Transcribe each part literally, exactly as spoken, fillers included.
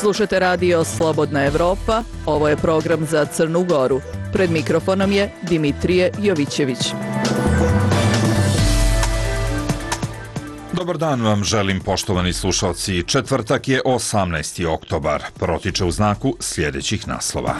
Slušate radio Slobodna Evropa, ovo je program za Crnu Goru. Pred mikrofonom je Dimitrije Jovićević. Dobar dan vam želim, poštovani slušalci. Četvrtak je osamnaesti oktobar. Protiče u znaku sljedećih naslova.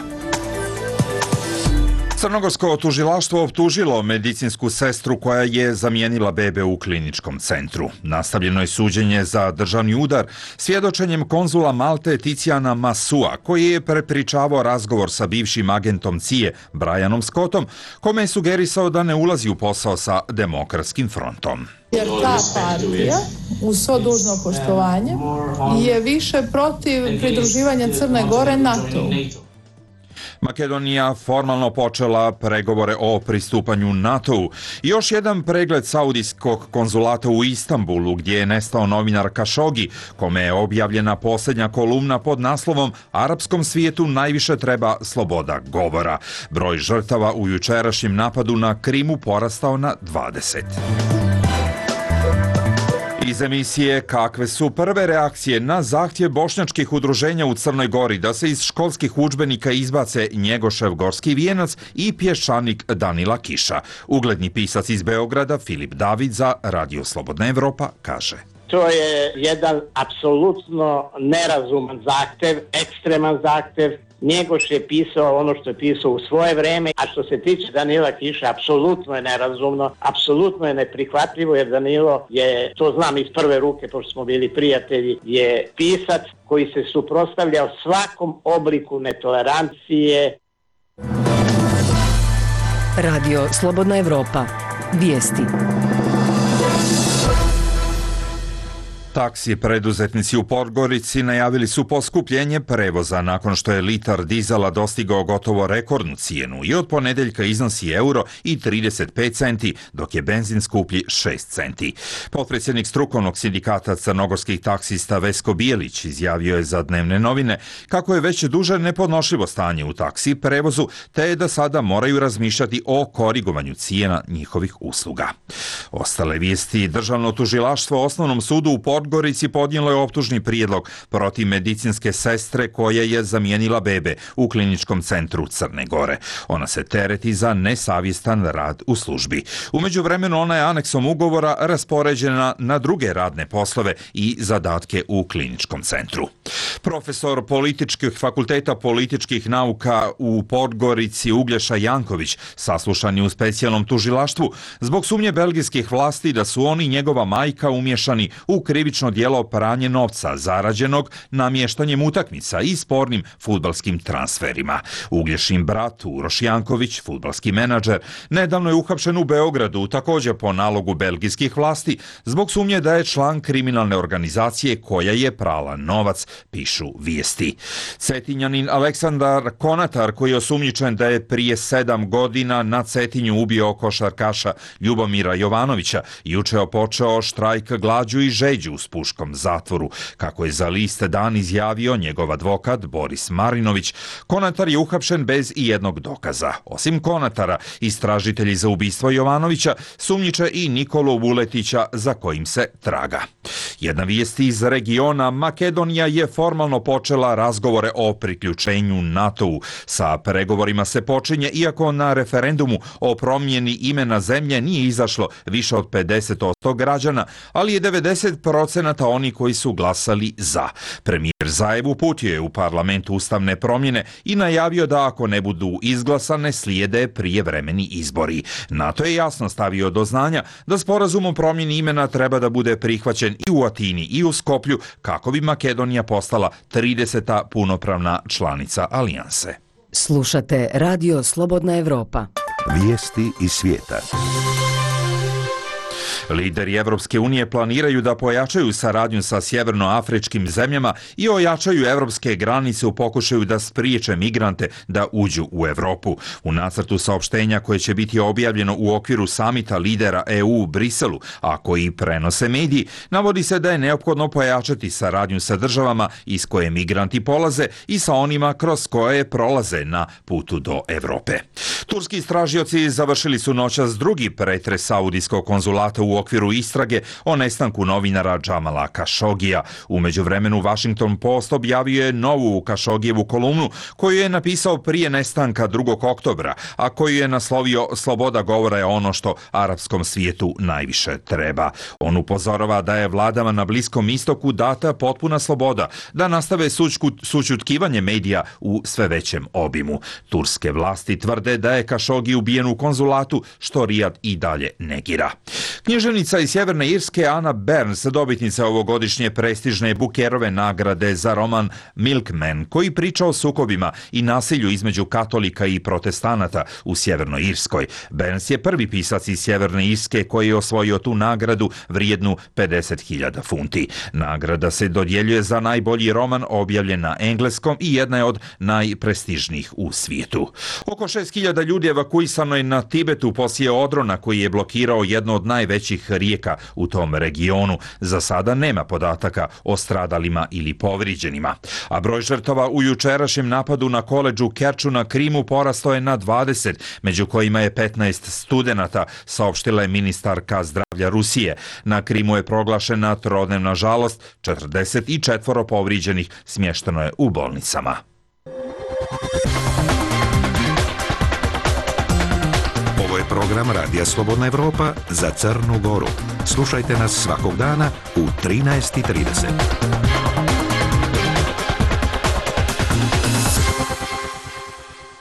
Crnogorsko tužilaštvo optužilo medicinsku sestru koja je zamijenila bebe u kliničkom centru. Nastavljeno je suđenje za državni udar svjedočenjem konzula Malte Ticijana Masua, koji je prepričavao razgovor sa bivšim agentom C I A Brianom Scottom, kome je sugerisao da ne ulazi u posao sa Demokratskim frontom. Jer ta partija, uz svo dužno poštovanje, je više protiv pridruživanja Crne Gore NATO-u. Makedonija formalno počela pregovore o pristupanju NATO-u. Još jedan pregled saudijskog konzulata u Istanbulu, gdje je nestao novinar Kašogi, kome je objavljena posljednja kolumna pod naslovom "Arapskom svijetu najviše treba sloboda govora". Broj žrtava u jučerašnjem napadu na Krimu porastao na dvadeset. Iz emisije "Kakve su prve reakcije na zahtjev bošnjačkih udruženja u Crnoj Gori da se iz školskih udžbenika izbace Njegošev Gorski vijenac i pješčanik Danila Kiša. Ugledni pisac iz Beograda Filip David za Radio Slobodna Evropa kaže: To je jedan apsolutno nerazuman zahtev, ekstreman zahtev. Njegoš je pisao ono što je pisao u svoje vreme, a što se tiče Danila Kiša, apsolutno je nerazumno, apsolutno je neprihvatljivo, jer Danilo je, to znam iz prve ruke, pošto smo bili prijatelji, je pisac koji se suprotstavljao svakom obliku netolerancije. Radio Slobodna Evropa. Vijesti. Taksi preduzetnici u Podgorici najavili su poskupljenje prevoza nakon što je litar dizela dostigao gotovo rekordnu cijenu i od ponedeljka iznosi euro i trideset pet centi, dok je benzin skuplji šest centi. Potpredsjednik strukovnog sindikata crnogorskih taksista Vesko Bijelić izjavio je za Dnevne novine kako je već duže nepodnošljivo stanje u taksi prevozu, te je da sada moraju razmišljati o korigovanju cijena njihovih usluga. Ostale vijesti: Državno tužilaštvo Osnovnom sudu u Podgorici podnijelo je optužni prijedlog protiv medicinske sestre koja je zamijenila bebe u kliničkom centru Crne Gore. Ona se tereti za nesavjestan rad u službi. U međuvremenu ona je aneksom ugovora raspoređena na druge radne poslove i zadatke u kliničkom centru. Profesor političkih fakulteta političkih nauka u Podgorici Uglješa Janković saslušan je u specijalnom tužilaštvu zbog sumnje belgijskih vlasti da su on i njegova majka umješani u krivično djelo pranje novca zarađenog namještanjem utakmica i spornim fudbalskim transferima. Uglješin brat Uroš Janković, fudbalski menadžer, nedavno je uhapšen u Beogradu, također po nalogu belgijskih vlasti, zbog sumnje da je član kriminalne organizacije koja je prala novac, pišu vijesti. Cetinjanin Aleksandar Konatar, koji je osumnjičen da je prije sedam godina na Cetinju ubio košarkaša Ljubomira Jovanovića, juče je počeo štrajk glađu i žeđu u Spuškom zatvoru. Kako je za list Dan izjavio njegov advokat Boris Marinović, Konatar je uhapšen bez ijednog dokaza. Osim Konatara, istražitelji za ubistvo Jovanovića sumnjiče i Nikolu Vuletića, za kojim se traga. Jedna vijest iz regiona: Makedonija je formalno počela razgovore o priključenju NATO-u. Sa pregovorima se počinje iako na referendumu o promjeni imena zemlje nije izašlo više od pedeset posto građana, ali je devedeset procenata oni koji su glasali za. Premijer Zajev uputio je u parlament ustavne promjene i najavio da ako ne budu izglasane slijede prijevremeni izbori. NATO je jasno stavio do znanja da sporazum o promjeni imena treba da bude prihvaćen i u Atini i u Skoplju kako bi Makedonija postala trideseta punopravna članica alijanse. Slušate Radio Slobodna Evropa. Vijesti iz svijeta. Lideri Evropske unije planiraju da pojačaju saradnju sa sjevernoafričkim zemljama i ojačaju evropske granice u pokušaju da spriječe migrante da uđu u Europu. U nacrtu saopštenja koje će biti objavljeno u okviru samita lidera E U u Briselu, a koji prenose mediji, navodi se da je neophodno pojačati saradnju sa državama iz koje migranti polaze i sa onima kroz koje prolaze na putu do Europe. Turski istražioci završili su noćas drugi pretres saudijskog konzulata u u okviru istrage o nestanku novinara Džamala Kašogija. U međuvremenu Washington Post objavio je novu Kašogijevu kolumnu koju je napisao prije nestanka drugog oktobra, a koju je naslovio "Sloboda govora je ono što arapskom svijetu najviše treba". On upozorava da je vladama na Bliskom istoku data potpuna sloboda da nastave sućutkivanje medija u sve većem obimu. Turske vlasti tvrde da je Kašogi ubijen u konzulatu, što Rijad i dalje negira. Književnica iz Sjeverne Irske Anna Burns, dobitnica ovogodišnje prestižne Bookerove nagrade za roman Milkman, koji priča o sukobima i nasilju između katolika i protestanata u Sjevernoj Irskoj. Burns je prvi pisac iz Sjeverne Irske koji je osvojio tu nagradu vrijednu pedeset hiljada funti. Nagrada se dodjeljuje za najbolji roman objavljen na engleskom i jedna je od najprestižnijih u svijetu. Oko šest hiljada ljudi evakuisano je na Tibetu poslije odrona koji je blokirao jednu od najvećih rijeka u tom regionu. Za sada nema podataka o stradalima ili povrijeđenima. A broj žrtava u jučerašnjem napadu na koledžu Kerču na Krimu porastao je na dvadeset, među kojima je petnaest studenata, saopštila je ministarka zdravlja Rusije. Na Krimu je proglašena trodnevna žalost, četrdeset četiri povrijeđenih smješteno je u bolnicama. Ovo je program Radija Slobodna Evropa za Crnu Goru. Slušajte nas svakog dana u trinaest i trideset.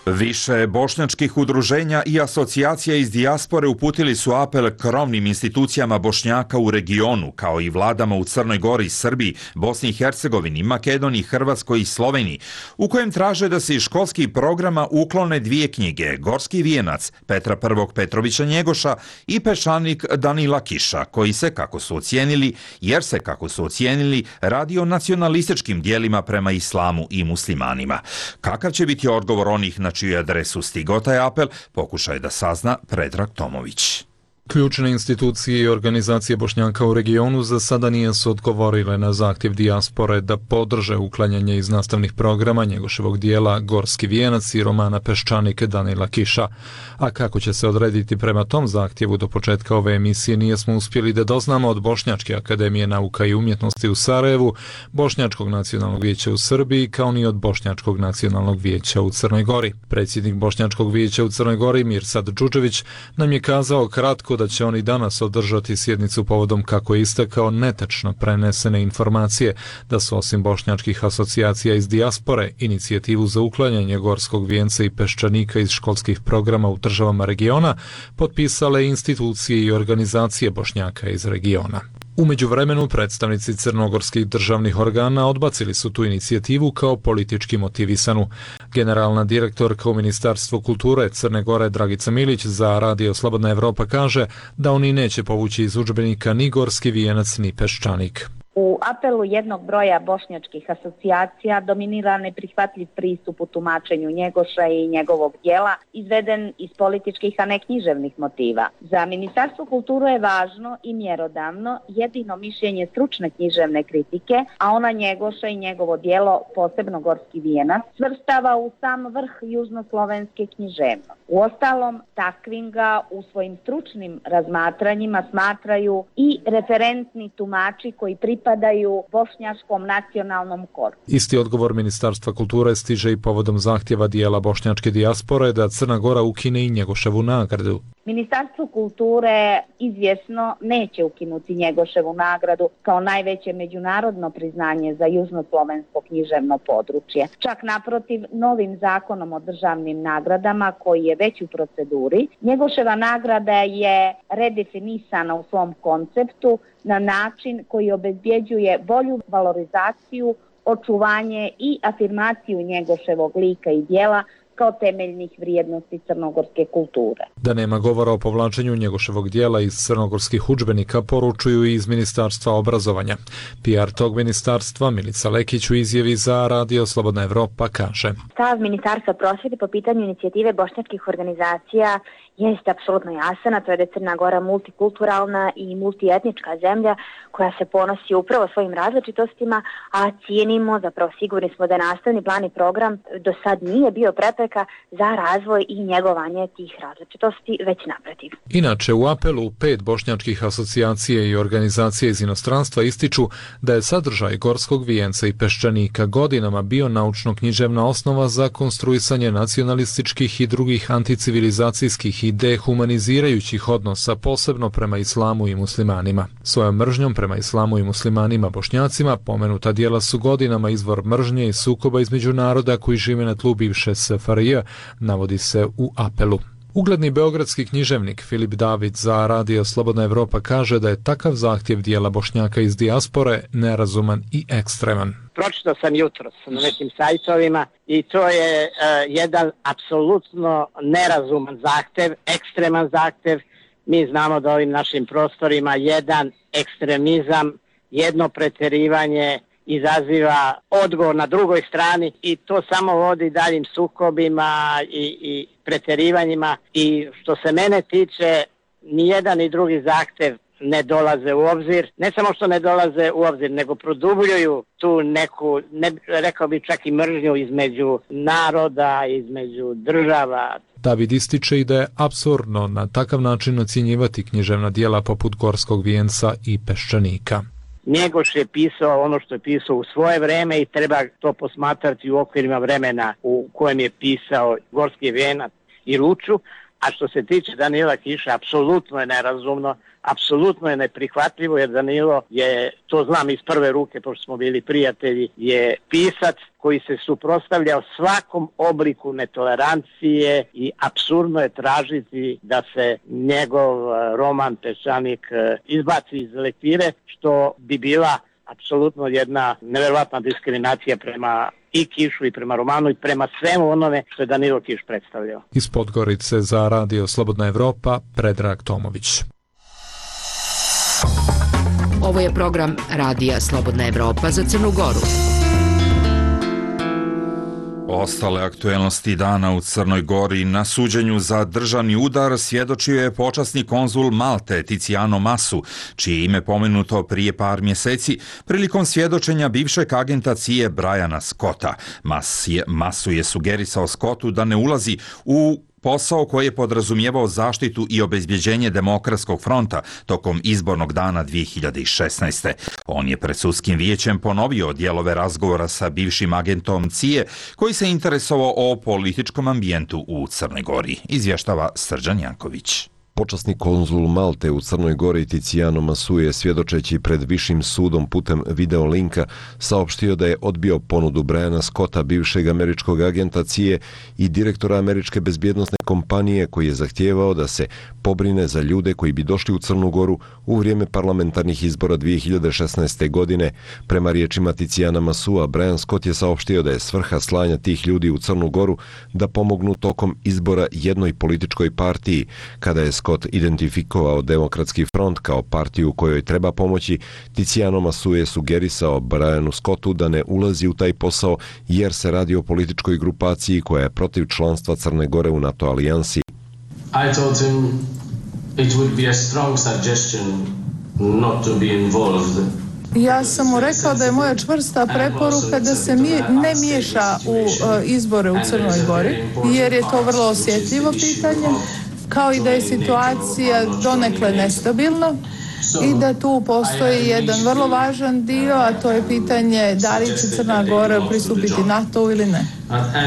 Više bošnjačkih udruženja i asocijacija iz dijaspore uputili su apel krovnim institucijama Bošnjaka u regionu, kao i vladama u Crnoj Gori, Srbiji, Bosni i Hercegovini, Makedoniji, Hrvatskoj i Sloveniji, u kojem traže da se iz školskih programa uklone dvije knjige, Gorski vijenac Petra I. Petrovića Njegoša i Peščanik Danila Kiša, koji se, kako su ocijenili, jer se, kako su ocijenili, radi o nacionalističkim dijelima prema islamu i muslimanima. Kakav će biti odgovor onih na čiju adresu stigao taj apel, pokušaj da sazna Predrag Tomović. Ključne institucije i organizacije Bošnjaka u regionu za sada nisu odgovorile na zahtjev dijaspore da podrže uklanjanje iz nastavnih programa Njegoševog dijela Gorski vijenac i romana Peščanik Danila Kiša. A kako će se odrediti prema tom zahtjevu do početka ove emisije nijesmo uspjeli da doznamo od Bošnjačke akademije nauka i umjetnosti u Sarajevu, Bošnjačkog nacionalnog vijeća u Srbiji, kao ni od Bošnjačkog nacionalnog vijeća u Crnoj Gori. Predsjednik Bošnjačkog vijeća u Crnoj Gori, Mirsad Džudžević, nam je kazao kratko da će oni danas održati sjednicu povodom, kako je istakao, netačno prenesene informacije da su osim bošnjačkih asocijacija iz dijaspore inicijativu za uklanjanje Gorskog vijenca i Peščanika iz školskih programa u državama regiona potpisale institucije i organizacije Bošnjaka iz regiona. U međuvremenu predstavnici crnogorskih državnih organa odbacili su tu inicijativu kao politički motivisanu. Generalna direktorka u Ministarstvu kulture Crne Gore Dragica Milić za Radio Slobodna Evropa kaže da oni neće povući iz udžbenika ni Gorski vijenac ni Peščanik. U apelu jednog broja bošnjačkih asocijacija dominira neprihvatljiv pristup u tumačenju Njegoša i njegovog dijela, izveden iz političkih, a ne književnih motiva. Za Ministarstvo kulture je važno i mjerodavno jedino mišljenje stručne književne kritike, a ona Njegoša i njegovo dijelo, posebno Gorski vijenac, svrstava u sam vrh južnoslovenske književnosti. Uostalom, takvim ga u svojim stručnim razmatranjima smatraju i referentni tumači koji pripadaju bošnjačkom nacionalnom korpusu. Isti odgovor Ministarstva kulture stiže i povodom zahtjeva dijela bošnjačke dijaspore da Crna Gora ukine i Njegoševu nagradu. Ministarstvo kulture izvjesno neće ukinuti Njegoševu nagradu kao najveće međunarodno priznanje za južnoslovensko književno područje. Čak naprotiv, novim zakonom o državnim nagradama, koji je već u proceduri, Njegoševa nagrada je redefinisana u svom konceptu na način koji obezbjeđuje bolju valorizaciju, očuvanje i afirmaciju Njegoševog lika i djela kao temeljnih vrijednosti crnogorske kulture. Da nema govora o povlačenju Njegoševog dijela iz crnogorskih udžbenika poručuju i iz Ministarstva obrazovanja. P R tog ministarstva Milica Lekić u izjavi za Radio Slobodna Evropa kaže: Stav Ministarstva prosvjete po pitanju inicijative bošnjačkih organizacija jeste apsolutno jasan, a to je da je Crna Gora multikulturalna i multietnička zemlja koja se ponosi upravo svojim različitostima, a cijenimo, zapravo sigurni smo da nastavni plan i program do sad nije bio prepreka za razvoj i njegovanje tih različitosti, već naprotiv. Inače, u apelu pet bošnjačkih asocijacije i organizacije iz inostranstva ističu da je sadržaj Gorskog vijenca i Peščanika godinama bio naučno-književna osnova za konstruisanje nacionalističkih i drugih anticivilizacijskih i dehumanizirajućih odnosa, posebno prema islamu i muslimanima. Svojom mržnjom prema islamu i muslimanima Bošnjacima pomenuta dijela su godinama izvor mržnje i sukoba između naroda koji žive na tlu bivše S F R J, navodi se u apelu. Ugledni beogradski književnik Filip David za Radio Slobodna Evropa kaže da je takav zahtjev dijela Bošnjaka iz dijaspore nerazuman i ekstreman. Pročitao sam jutros na nekim sajtovima i to je uh, jedan apsolutno nerazuman zahtjev, ekstreman zahtjev. Mi znamo da ovim našim prostorima jedan ekstremizam, jedno pretjerivanje izaziva odgovor na drugoj strani i to samo vodi daljim sukobima i, i pretjerivanjima i što se mene tiče ni jedan ni drugi zahtjev ne dolaze u obzir. Ne samo što ne dolaze u obzir, nego produbljuju tu neku, ne, rekao bi čak i mržnju između naroda, između država. David ističe i da je apsurdno na takav način ocjenjivati književna dijela poput Gorskog vijenca i Peščanika. Njegoš je pisao ono što je pisao u svoje vreme i treba to posmatrati u okvirima vremena u kojem je pisao Gorski vijenac i Ruču, a što se tiče Danila Kiša, apsolutno je nerazumno, apsolutno je neprihvatljivo, jer Danilo je, to znam iz prve ruke, pošto smo bili prijatelji, je pisac koji se suprotstavljao svakom obliku netolerancije i apsurdno je tražiti da se njegov roman Peščanik izbaci iz lektire, što bi bila apsolutno jedna nevjerovatna diskriminacija prema i Kišu i prema romanu i prema svemu onome što je Danilo Kiš predstavljao. Iz Podgorice za Radio Slobodna Evropa, Predrag Tomović. Ovo je program Radija Slobodna Evropa za Crnu Goru. Ostale aktuelnosti dana u Crnoj Gori. Na suđenju za državni udar svjedočio je počasni konzul Malte Tiziano Masu, čije ime pomenuto prije par mjeseci prilikom svjedočenja bivšeg agenta C I A Briana Scotta. Mas je, Masu je sugerisao Scottu da ne ulazi u posao koji je podrazumijevao zaštitu i obezbjeđenje Demokratskog fronta tokom izbornog dana dvije hiljade šesnaeste. On je pred sudskim vijećem ponovio dijelove razgovora sa bivšim agentom C I A koji se interesovao o političkom ambijentu u Crnoj Gori, izvještava Srđan Janković. Počasni konzul Malte u Crnoj Gori Tiziano Masu je svjedočeći pred višim sudom putem video linka saopštio da je odbio ponudu Briana Scotta, bivšeg američkog agenta C I A i direktora američke bezbjednosne kompanije, koji je zahtijevao da se pobrine za ljude koji bi došli u Crnu Goru u vrijeme parlamentarnih izbora dvije hiljade šesnaeste. godine. Prema riječima Tiziana Masua, Brian Scott je saopštio da je svrha slanja tih ljudi u Crnu Goru da pomognu tokom izbora jednoj političkoj partiji. Kada je Scott identifikovao Demokratski front kao partiju kojoj treba pomoći, Tiziano Masu je sugerisao Brianu Scottu da ne ulazi u taj posao jer se radi o političkoj grupaciji koja je protiv članstva Crne Gore u NATO alijansi. I told him it would be a strong suggestion not to be involved. Ja sam mu rekao da je moja čvrsta preporuka da se ne miješa u izbore u Crnoj Gori, jer je to vrlo osjetljivo pitanje, kao i da je situacija donekle nestabilna i da tu postoji jedan vrlo važan dio, a to je pitanje da li će Crna Gora pristupiti NATO ili ne.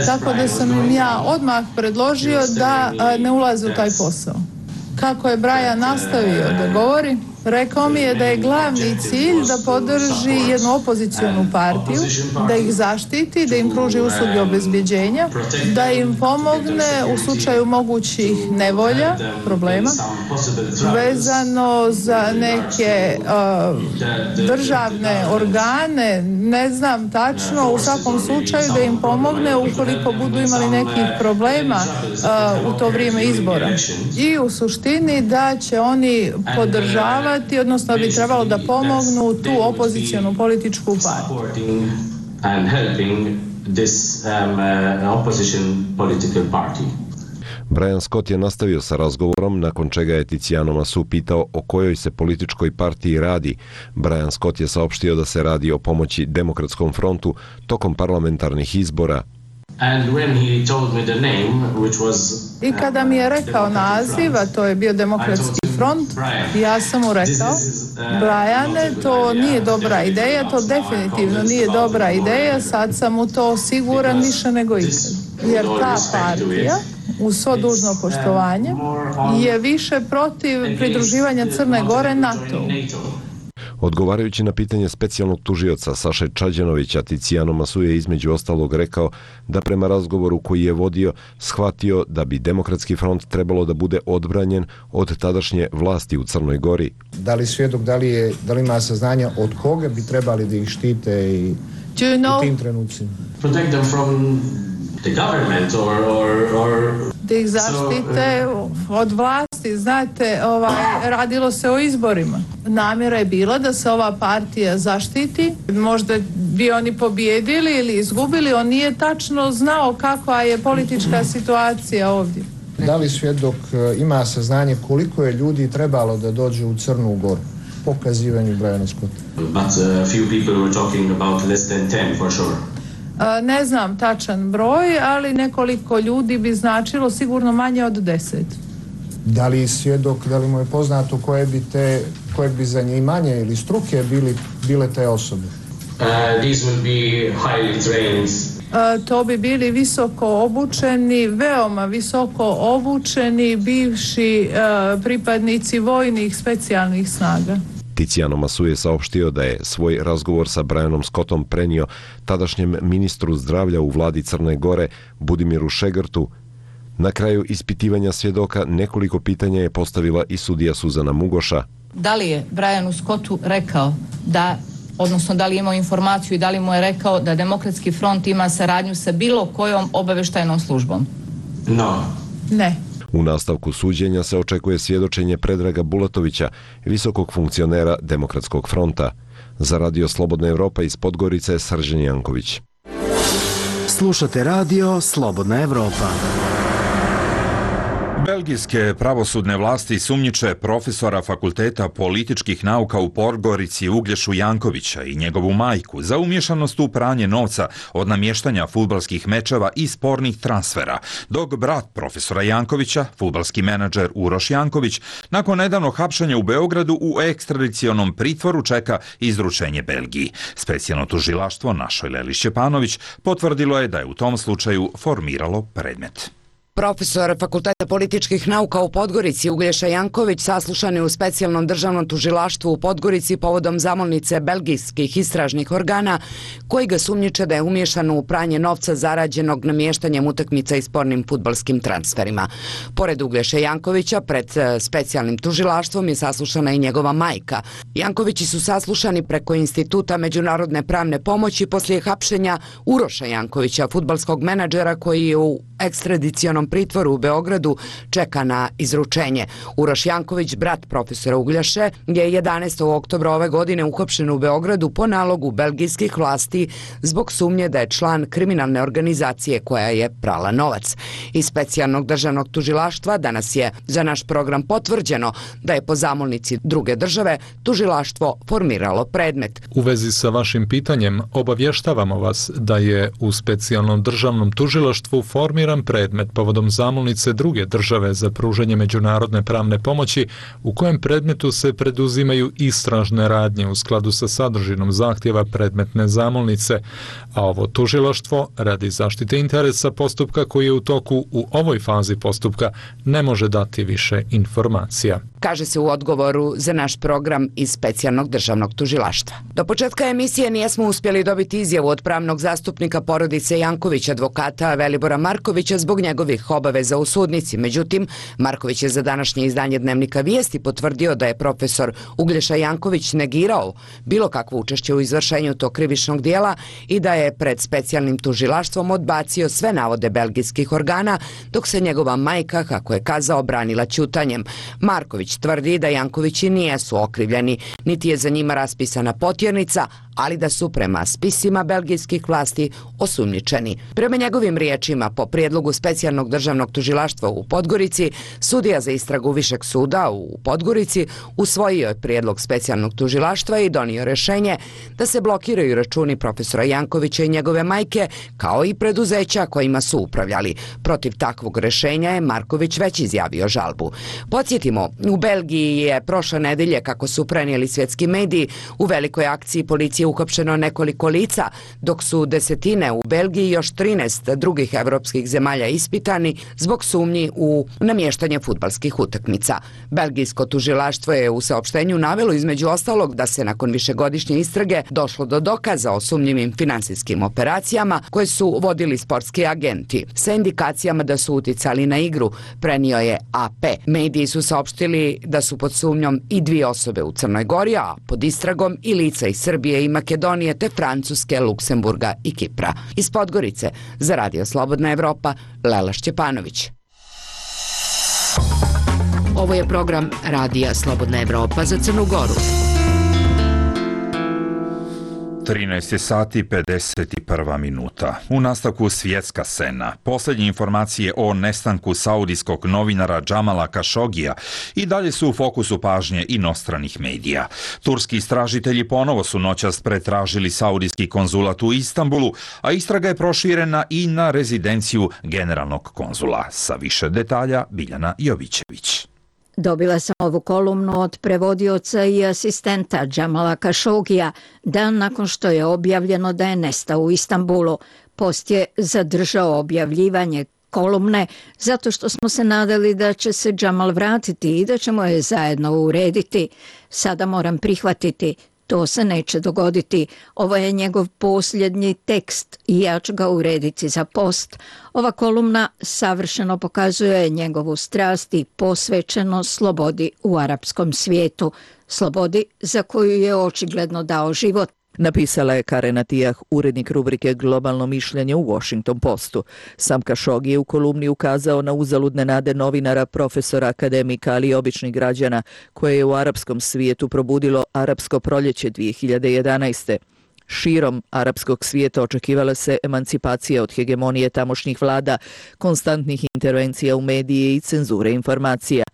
Tako da sam im ja odmah predložio da ne ulaze u taj posao. Kako je Brian nastavio da govori, rekao mi je da je glavni cilj da podrži jednu opozicijonu partiju, da ih zaštiti, da im pruži usluge obezbjeđenja, da im pomogne u slučaju mogućih nevolja, problema, vezano za neke uh, državne organe, ne znam tačno, u svakom slučaju da im pomogne ukoliko budu imali nekih problema uh, u to vrijeme izbora. I u suštini da će oni podržavati, odnosno bi trebalo da pomognu tu opozicijonu političku partiju. Brian Scott je nastavio sa razgovorom, nakon čega je Tiziano Masu pitao o kojoj se političkoj partiji radi. Brian Scott je saopštio da se radi o pomoći Demokratskom frontu tokom parlamentarnih izbora. And when he told me the name, which was, I kada mi je rekao naziv, a to je bio Demokratski front, ja sam mu rekao, Briane, to nije dobra ideja, to definitivno nije dobra ideja, sad sam u to siguran više nego ikad. Jer ta partija, uz svo dužno poštovanje, je više protiv pridruživanja Crne Gore NATO-u. Odgovarajući na pitanje specijalnog tužioca Saše Čađanovića, Tiziano Masu je između ostalog rekao da prema razgovoru koji je vodio shvatio da bi Demokratski front trebalo da bude odbranjen od tadašnje vlasti u Crnoj Gori. Da li svjedok, da li, je, da li ima saznanja od koga bi trebali da ih štite i you know, u tim trenucima? Protect them from the government or, or, or... da ih zaštite od vlasti. Znate, ovaj, radilo se o izborima. Namjera je bila da se ova partija zaštiti. Možda bi oni pobijedili ili izgubili. On nije tačno znao kakva je politička situacija ovdje. Da li svjedok ima saznanje koliko je ljudi trebalo da dođe u Crnu Goru po kazivanju Briana Scotta? But a few people were talking about less than ten for sure. Ne znam tačan broj, ali nekoliko ljudi bi značilo sigurno manje od deset. Da li svjedok, da li mu je poznato koje bi te, koje bi zanimanje ili struke bili, bile te osobe? Uh, these will be highly trained. Uh, to bi bili visoko obučeni, veoma visoko obučeni bivši uh, pripadnici vojnih specijalnih snaga. Tiziano Masu je saopštio da je svoj razgovor sa Brianom Scottom prenio tadašnjem ministru zdravlja u vladi Crne Gore, Budimiru Šegrtu. Na kraju ispitivanja svjedoka nekoliko pitanja je postavila i sudija Suzana Mugoša. Da li je Brianu Scottu rekao da, odnosno da li je imao informaciju i da li mu je rekao da Demokratski front ima saradnju sa bilo kojom obaveštajnom službom? No. Ne. U nastavku suđenja se očekuje svjedočenje Predraga Bulatovića, visokog funkcionera Demokratskog fronta. Za Radio Slobodna Evropa iz Podgorice, Srđan Janković. Slušate Radio Slobodna Evropa. Belgijske pravosudne vlasti sumnjiče profesora Fakulteta političkih nauka u Podgorici Uglješu Jankovića i njegovu majku za umješanost u pranje novca od namještanja fudbalskih mečeva i spornih transfera, dok brat profesora Jankovića, fudbalski menadžer Uroš Janković, nakon nedavnog hapšenja u Beogradu u ekstradicionom pritvoru čeka izručenje Belgiji. Specijalno tužilaštvo našoj Leli Šćepanović potvrdilo je da je u tom slučaju formiralo predmet. Profesor Fakulteta političkih nauka u Podgorici Uglješa Janković saslušan je u specijalnom državnom tužilaštvu u Podgorici povodom zamolnice belgijskih istražnih organa koji ga sumnjiče da je umiješan u pranje novca zarađenog namještanjem utakmica i spornim fudbalskim transferima. Pored Uglješe Jankovića pred specijalnim tužilaštvom je saslušana i njegova majka. Jankovići su saslušani preko Instituta međunarodne pravne pomoći poslije hapšenja Uroša Jankovića, fudbalskog menadžera koji je u ekstradicionom pritvoru u Beogradu čeka na izručenje. Uroš Janković, brat profesora Ugljaše, je jedanaestog oktobra ove godine uhapšen u Beogradu po nalogu belgijskih vlasti zbog sumnje da je član kriminalne organizacije koja je prala novac. Iz specijalnog državnog tužilaštva danas je za naš program potvrđeno da je po zamolnici druge države tužilaštvo formiralo predmet. U vezi sa vašim pitanjem obavještavamo vas da je u specijalnom državnom tužilaštvu formiran predmet povodom zamolnice druge države za pružanje međunarodne pravne pomoći u kojem predmetu se preduzimaju istražne radnje u skladu sa sadržinom zahtjeva predmetne zamolnice, a ovo tužilaštvo radi zaštite interesa postupka koji je u toku u ovoj fazi postupka ne može dati više informacija. Kaže se u odgovoru za naš program iz specijalnog državnog tužilaštva. Do početka emisije nijesmo uspjeli dobiti izjavu od pravnog zastupnika porodice Janković, advokata Velibora Markovića, zbog njegovih obaveza u sudnici. Međutim, Marković je za današnje izdanje Dnevnika Vijesti potvrdio da je profesor Uglješa Janković negirao bilo kakvo učešće u izvršenju tog krivičnog dijela i da je pred specijalnim tužilaštvom odbacio sve navode belgijskih organa, dok se njegova majka, kako je kazao, branila ćutanjem. Marković tvrdi da Jankovići nijesu okrivljeni, niti je za njima raspisana potjernica, ali da su prema spisima belgijskih vlasti osumnjičeni. Prema njegovim riječima, po prijedlogu specijalnog državnog tužilaštva u Podgorici, sudija za istragu Višeg suda u Podgorici usvojio je prijedlog specijalnog tužilaštva i donio rješenje da se blokiraju računi profesora Jankovića i njegove majke, kao i preduzeća kojima su upravljali. Protiv takvog rješenja je Marković već izjavio žalbu. Podsjetimo, u Belgiji je prošle nedelje, kako su prenijeli svjetski mediji, u velikoj akciji policije uhapšeno nekoliko lica, dok su desetine u Belgiji i još trinaest drugih evropskih zemalja ispitani zbog sumnji u namještanje fudbalskih utakmica. Belgijsko tužilaštvo je u saopštenju navelo između ostalog da se nakon višegodišnje istrage došlo do dokaza o sumnjivim finansijskim operacijama koje su vodili sportski agenti sa indikacijama da su uticali na igru, prenio je A P. Mediji su saopštili da su pod sumnjom i dvije osobe u Crnoj Gori, a pod istragom i lica iz Srbije i Makedonije te Francuske, Luksemburga i Kipra. Iz Podgorice za Radio Slobodna Evropa, Lela Šćepanović. Ovo je program Radija Slobodna Evropa za Crnu Goru. trinaest sati pedeset jedna minuta. U nastavku svjetska scena. Posljednje informacije o nestanku saudijskog novinara Džamala Kašogija i dalje su u fokusu pažnje inostranih medija. Turski istražitelji ponovo su noćas pretražili saudijski konzulat u Istanbulu, a istraga je proširena i na rezidenciju generalnog konzula. Sa više detalja Biljana Jovićević. Dobila sam ovu kolumnu od prevodioca i asistenta Džamala Kašogija dan nakon što je objavljeno da je nestao u Istanbulu. Post je zadržao objavljivanje kolumne zato što smo se nadali da će se Džamal vratiti i da ćemo je zajedno urediti. Sada moram prihvatiti. To se neće dogoditi. Ovo je njegov posljednji tekst i ja ću ga urediti za post. Ova kolumna savršeno pokazuje njegovu strast i posvećeno slobodi u arapskom svijetu. Slobodi za koju je očigledno dao život. Napisala je Karen Atiyah, urednik rubrike Globalno mišljenje u Washington Postu. Sam Kašogi je u kolumni ukazao na uzaludne nade novinara, profesora, akademika, ali i običnih građana, koje je u arapskom svijetu probudilo arapsko proljeće dvije hiljade jedanaeste. Širom arapskog svijeta očekivala se emancipacija od hegemonije tamošnjih vlada, konstantnih intervencija u medije i cenzure informacija.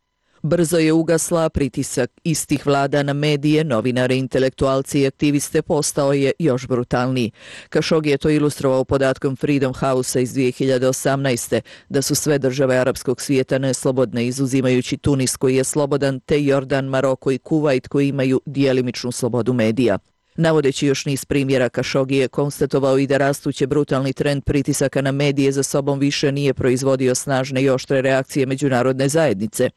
Brzo je ugasla, pritisak istih vlada na medije, novinare, intelektualci i aktiviste postao je još brutalniji. Kašogi je to ilustrovao podatkom Freedom House-a iz dvije hiljade osamnaeste. da su sve države arapskog svijeta neslobodne, izuzimajući Tunis koji je slobodan, te Jordan, Maroko i Kuvajt koji imaju djelimičnu slobodu medija. Navodeći još niz primjera, Kašogi je konstatovao i da rastuće brutalni trend pritisaka na medije za sobom više nije proizvodio snažne i oštre reakcije međunarodne zajednice.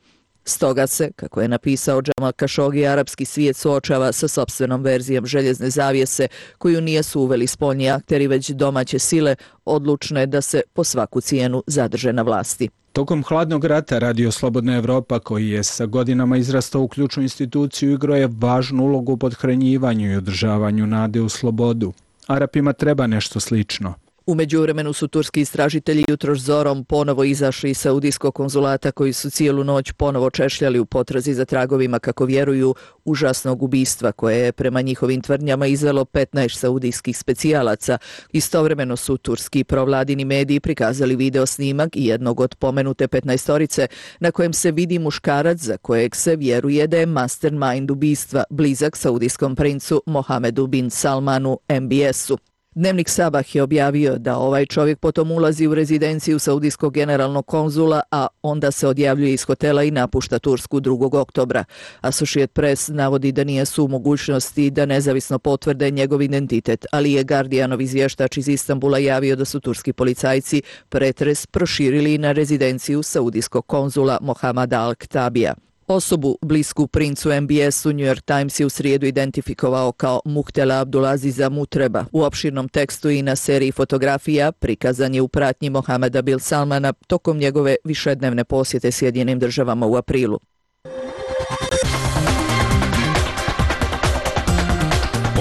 Stoga se, kako je napisao Džamal Kašogi, arapski svijet suočava sa sopstvenom verzijom željezne zavjese koju nisu uveli spoljni akteri, već domaće sile odlučne da se po svaku cijenu zadrže na vlasti. Tokom hladnog rata Radio Slobodna Evropa, koji je sa godinama izrastao u ključnu instituciju, igrao je važnu ulogu u podhranjivanju i održavanju nade u slobodu. Arapima treba nešto slično. U međuvremenu su turski istražitelji jutroš zorom ponovo izašli iz saudijskog konzulata koji su cijelu noć ponovo češljali u potrazi za tragovima, kako vjeruju, užasnog ubistva koje je prema njihovim tvrdnjama izvelo petnaest saudijskih specijalaca. Istovremeno su turski provladini mediji prikazali video snimak i jednog od pomenute petnaestorice na kojem se vidi muškarac za kojeg se vjeruje da je mastermind ubistva, blizak saudijskom princu Mohamedu bin Salmanu M B S-u. Dnevnik Sabah je objavio da ovaj čovjek potom ulazi u rezidenciju saudijskog generalnog konzula, a onda se odjavljuje iz hotela i napušta Tursku drugog oktobra. Associated Press navodi da nije su u mogućnosti da nezavisno potvrde njegov identitet, ali je Guardianov izvještač iz Istanbula javio da su turski policajci pretres proširili na rezidenciju saudijskog konzula Mohamada Al-Ktabija. Osobu blisku princu M B S-u New York Times je u srijedu identifikovao kao Muhtela Abdulaziza Mutreba. U opširnom tekstu i na seriji fotografija prikazan je u pratnji Mohameda bin Salmana tokom njegove višednevne posjete Sjedinjenim državama u aprilu.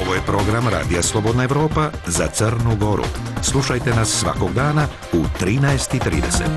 Ovo je program Radija Slobodna Evropa za Crnu Goru. Slušajte nas svakog dana u trinaest i trideset.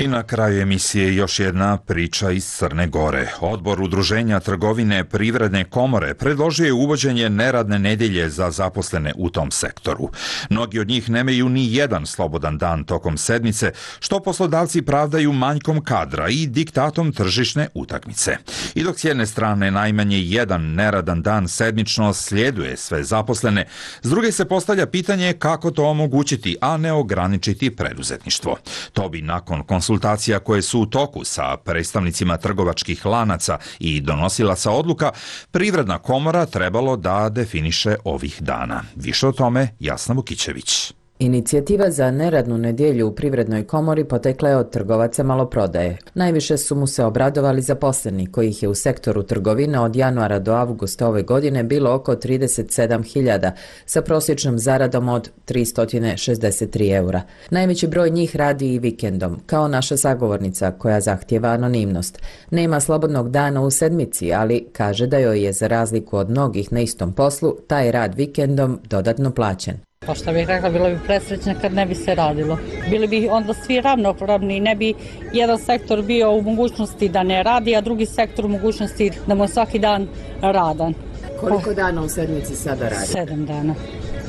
I na kraju emisije još jedna priča iz Crne Gore. Odbor Udruženja trgovine Privredne komore predložio je uvođenje neradne nedjelje za zaposlene u tom sektoru. Mnogi od njih nemaju ni jedan slobodan dan tokom sedmice, što poslodavci pravdaju manjkom kadra i diktatom tržišne utakmice. I dok s jedne strane najmanje jedan neradan dan sedmično slijeduje sve zaposlene, s druge se postavlja pitanje kako to omogućiti, a ne ograničiti preduzetništvo. To bi nakon konsultacija koje su u toku sa predstavnicima trgovačkih lanaca i donosilaca odluka, Privredna komora trebalo da definiše ovih dana. Više o tome Jasna Vukićević. Inicijativa za neradnu nedjelju u Privrednoj komori potekla je od trgovaca maloprodaje. Najviše su mu se obradovali zaposleni, kojih je u sektoru trgovine od januara do avgusta ove godine bilo oko trideset sedam hiljada, sa prosječnom zaradom od tristo šezdeset tri eura. Najveći broj njih radi i vikendom, kao naša sagovornica koja zahtijeva anonimnost. Nema slobodnog dana u sedmici, ali kaže da joj je za razliku od mnogih na istom poslu taj rad vikendom dodatno plaćen. Pa šta bih rekla, bilo bi presrećno kad ne bi se radilo. Bili bi onda svi ravnopravni, ne bi jedan sektor bio u mogućnosti da ne radi, a drugi sektor u mogućnosti da mu je svaki dan radan. Koliko dana u sedmici sada radi? Sedam dana.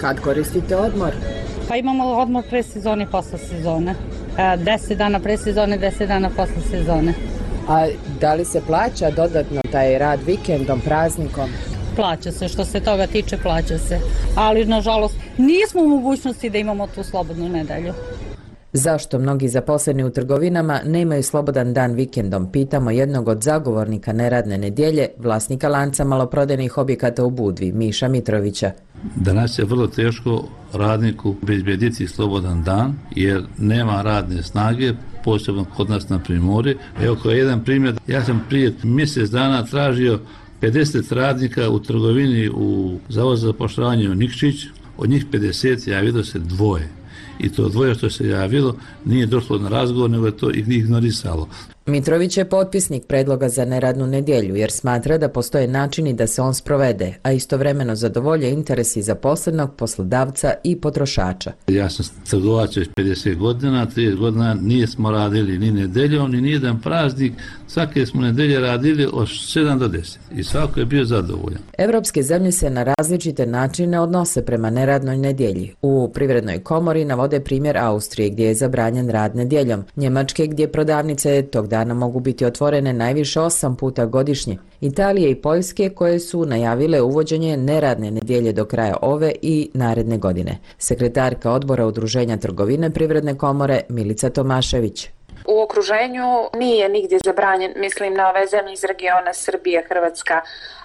Kad koristite odmor? Pa imamo odmor pre sezone i posle sezone. Deset dana pre sezone, deset dana posle sezone. A da li se plaća dodatno taj rad vikendom, praznikom? Plaća se, što se toga tiče, plaća se. Ali, nažalost, nismo u mogućnosti da imamo tu slobodnu nedelju. Zašto mnogi zaposleni u trgovinama nemaju slobodan dan vikendom? Pitamo jednog od zagovornika neradne nedjelje, vlasnika lanca maloprodajnih objekata u Budvi, Miša Mitrovića. Danas je vrlo teško radniku obezbediti slobodan dan, jer nema radne snage, posebno kod nas na Primorje. Evo kao jedan primjer, ja sam prije mjesec dana tražio pedeset radnika u trgovini u Zavodu za zapošljavanje u Nikšić, od njih pedeset javilo se dvoje. I to dvoje što se javilo nije došlo na razgovor, nego je to ignorisalo. Mitrović je potpisnik predloga za neradnu nedjelju jer smatra da postoje načini da se on sprovede, a istovremeno zadovolje interesi zaposlenog, poslodavca i potrošača. Ja sam trgovac već pedeset godina, trideset godina nismo radili ni nedeljom, ni nijedan praznik. Svake smo nedelje radili od sedam do deset i svako je bio zadovoljan. Evropske zemlje se na različite načine odnose prema neradnoj nedjelji. U Privrednoj komori navode primjer Austrije gdje je zabranjen rad nedjeljom, Njemačke gdje prodavnice tog dana mogu biti otvorene najviše osam puta godišnje, Italije i Poljske koje su najavile uvođenje neradne nedjelje do kraja ove i naredne godine. Sekretarka odbora Udruženja trgovine Privredne komore Milica Tomašević. U okruženju nije nigdje zabranjen, mislim na ove zemlje iz regiona Srbija, Hrvatska,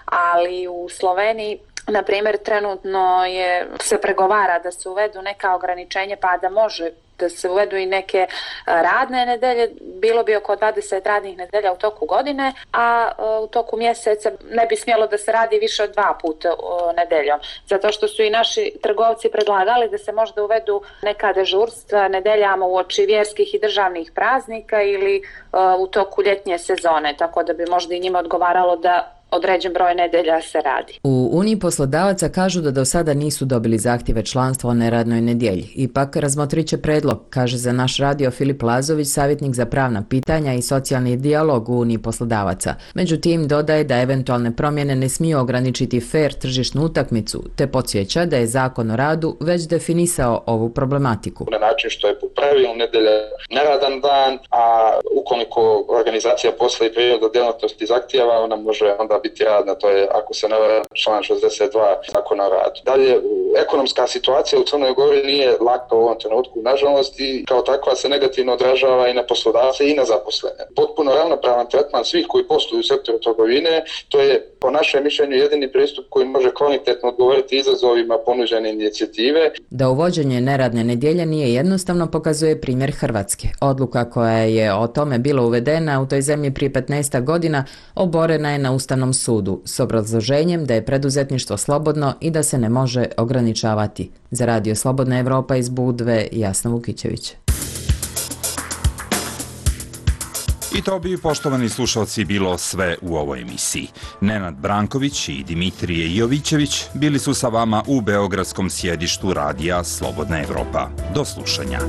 ali u Sloveniji, na primjer, trenutno je, se pregovara da se uvedu neka ograničenja, pa da može da se uvedu i neke radne nedelje, bilo bi oko dvadeset radnih nedelja u toku godine, a u toku mjeseca ne bi smjelo da se radi više od dva puta nedeljom. Zato što su i naši trgovci predlagali da se možda uvedu neka dežurstva nedeljama uoči vjerskih i državnih praznika ili u toku ljetnje sezone, tako da bi možda i njima odgovaralo da određen broj nedelja se radi. U Uniji poslodavaca kažu da do sada nisu dobili zahtjeve članstva o neradnoj nedjelji. Ipak razmotrit će predlog, kaže za naš radio Filip Lazović, savjetnik za pravna pitanja i socijalni dijalog u Uniji poslodavaca. Međutim, dodaje da eventualne promjene ne smiju ograničiti fer tržišnu utakmicu, te podsjeća da je Zakon o radu već definisao ovu problematiku. Na način što je po pravilu nedelja neradan dan, a ukoliko organizacija posla i priroda djelatnosti zahtijeva, ona može onda biti radna, to je, ako se ne varam, član šezdeset dva Zakona o radu. Dalje, ekonomska situacija u Crnoj Gori nije laka u ovom trenutku, nažalost, i kao takva se negativno odražava i na poslodavce i na zaposlene. Potpuno ravnopravan tretman svih koji posluju u sektoru trgovine, to je po našem mišljenju jedini pristup koji može kvalitetno odgovoriti izazovima ponuđene inicijative. Da uvođenje neradne nedjelje nije jednostavno pokazuje primjer Hrvatske. Odluka koja je o tome bila uvedena u toj zemlji prije petnaest godina oborena je na Ustavnom sudu s obrazloženjem da je preduzetništvo slobodno i da se ne može ograničavati. Za Radio Slobodna Evropa iz Budve, Jasna Vukićević. I to bi, poštovani slušalci, bilo sve u ovoj emisiji. Nenad Branković i Dimitrije Jovićević bili su sa vama u beogradskom sjedištu Radija Slobodna Evropa. Do slušanja.